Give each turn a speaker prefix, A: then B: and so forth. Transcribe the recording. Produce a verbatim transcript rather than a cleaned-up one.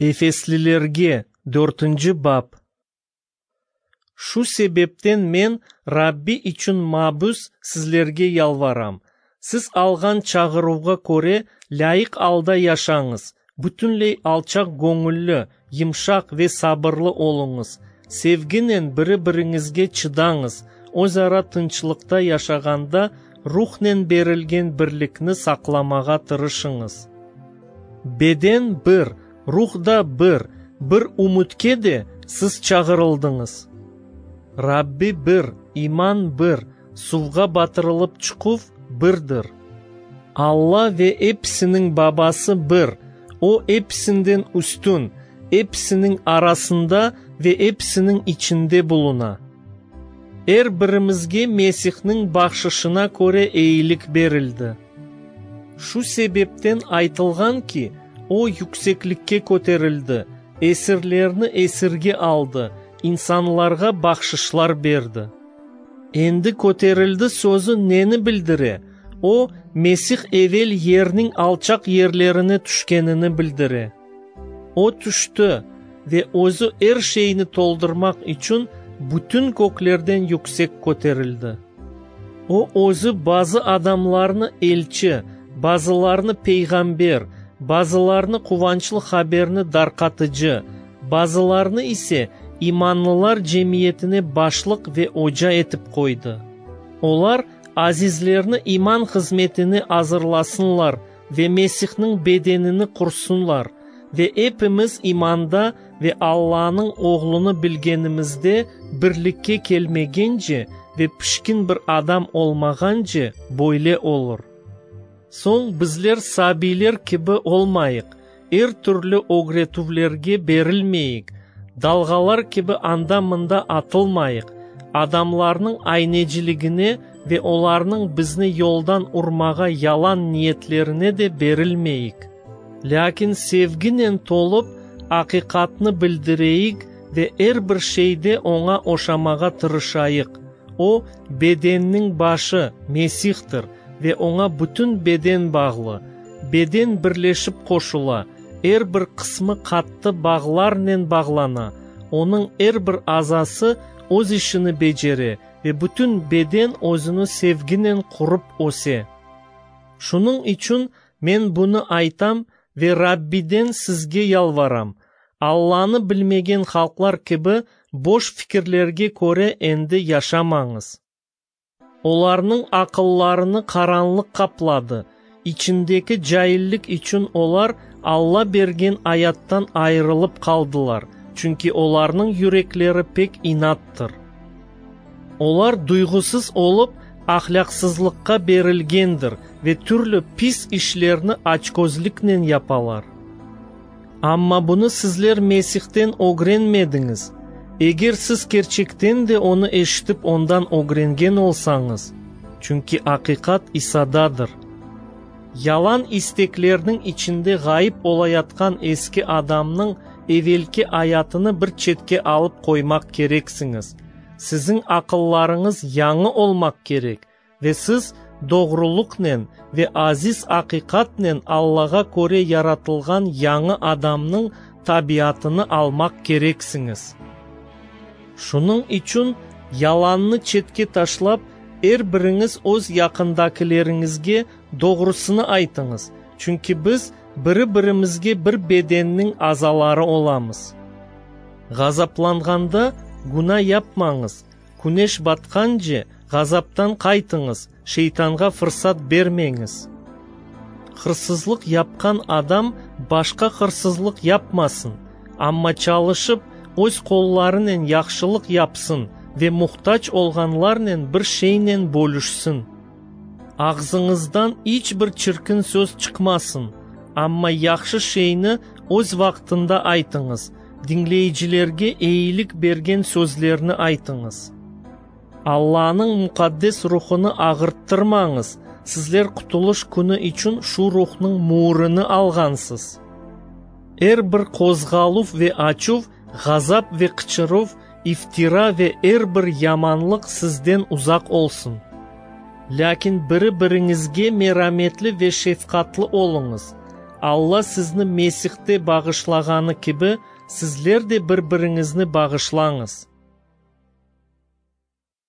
A: Efeslilerge, dörtünci bap. Şu sebepten men, Rabbi içün mabüs, sizlerge yalvaram: siz alğan çağıruvğa köre lâyıq alda yaşañız, bütünley alçaq göñülli, yımşaq ve sabırlı oluñız, sevginen biri-biriñizge çıdañız, özara tınçlıqta yaşağanda, Ruhnen berilgen birlikni saqlamağa tırışıñız. Beden bir, Ruh da bir, bir ümütke de siz çağırıldıñız. Rabbi bir, iman bir, suvğa batırılıp çıquv birdir. Alla ve episiniñ Babası bir, O episinden üstün, episiniñ arasında ve episiniñ içinde buluna. Er birimizge Mesihniñ bahşışına köre eyilik berildi. Şu sebepten aytılğan ki, O yükseklikke köterildi, esirlerni esirge aldı, insanlarğa bahşışlar berdi. Endi köterildi sözü neni bildire? O, Mesih evel yerniñ alçaq yerlerine tüşkenini bildire. O tüşti ve özü er şeyni toldurmaq içün bütün köklerden yüksek köterildi. O özü bazı adamlarnı elçi, bazılarını peyğamber, bazılarını quvançlı haberni darqatıcı, bazılarını ise imanlılar cemiyetine başlıq ve oca etip qoydı. Olar azizlerni iman hızmetine azırlasınlar ve Mesihniñ bedenini qursunlar ve epimiz imanda ve Allanıñ Oğlunı bilgenimizde birlikke kelmegence ve pişkin bir adam olmağance böyle olur. Soñ bizler sabiyler kibi olmayıq, er türlü ögretüvlerge berilmeyik, dalğalar kibi anda-mında atılmayıq, adamlarnıñ ayneciligine ve olarnıñ bizni yoldan urmağa yalan niyetlerine de berilmeyik. Lâkin sevginen tolıp, aqiqatnı bildireyik ve er bir şeyde oña oşamağa tırışayıq. O, bedenniñ başı, Mesihtir, ve oña bütün beden bağlı. Beden birleşip qoşula, er bir qısmı qattı bağlarnen bağlana, onıñ er bir azası öz işini becere ve bütün beden özüni sevginen qurıp öse. Şunıñ içün men bunı aytam ve Rabbiden sizge yalvaram: Allanı bilmegen halqlar kibi boş fikirlerge köre endi yaşamañız. Olarnıñ aqıllarını qaranlıq qapladı, içindeki caillik içün olar Alla bergen ayattan ayırılıp qaldılar, çünki olarnıñ yürekleri pek inattır. Olar duyğusız olıp, ahlâqsızlıqqa berilgendir ve türlü pis işlerni açközlüknen yapalar. Amma bunı sizler Mesihten ögrenmediñiz. Eger siz kerçekten de onı eşitip ondan ögrengen olsañız, çünki aqiqat İsadadır. Yalan isteklerniñ içinde ğayıp olayatqan eski adamnıñ evelki ayatını bir çetke alıp qoymaq kereksiñiz. Siziñ aqıllarıñız yañı olmaq kerek ve siz doğrulıqnen ve aziz aqiqatnen Allağa köre yaratılğan yañı adamnıñ tabiatını almaq kereksiñiz. Şunıñ içün yalannı çetke taşlap, er biriñiz öz yaqındakileriñizge doğrusını aytıñız, çünki biz biri-birimizge bir bedenniñ azaları olamız. Ğazaplanğanda günâ yapmañız, küneş batqance ğazaptan qaytıñız, şeytanğa fırsat bermeñiz. Hırsızlıq yapqan adam başqa hırsızlıq yapmasın, amma çalışıp öz qollarınen yahşılıq yapsın ve muhtac olğanlarnen bir şeynen bölüşsin. Ağzıñızdan iç bir çirkin söz çıqmasın, amma yahşı şeyni öz vaqtında aytıñız, diñleyicilerge eyilik bergen sözlerni aytıñız. Allanıñ muqaddes ruhunı ağırttırmañız, sizler qutulış künü içün şu ruhnıñ müürini alğansız. Er bir qozğaluv ve açuv, ğazap ve qıçıruv, iftira ve er bir yamanlıq sizden uzaq olsun. Lâkin biri-biriñizge merametli ve şefqatlı oluñız. Alla sizni Mesihte bağışlağanı kibi, sizler de bir-biriñizni bağışlañız.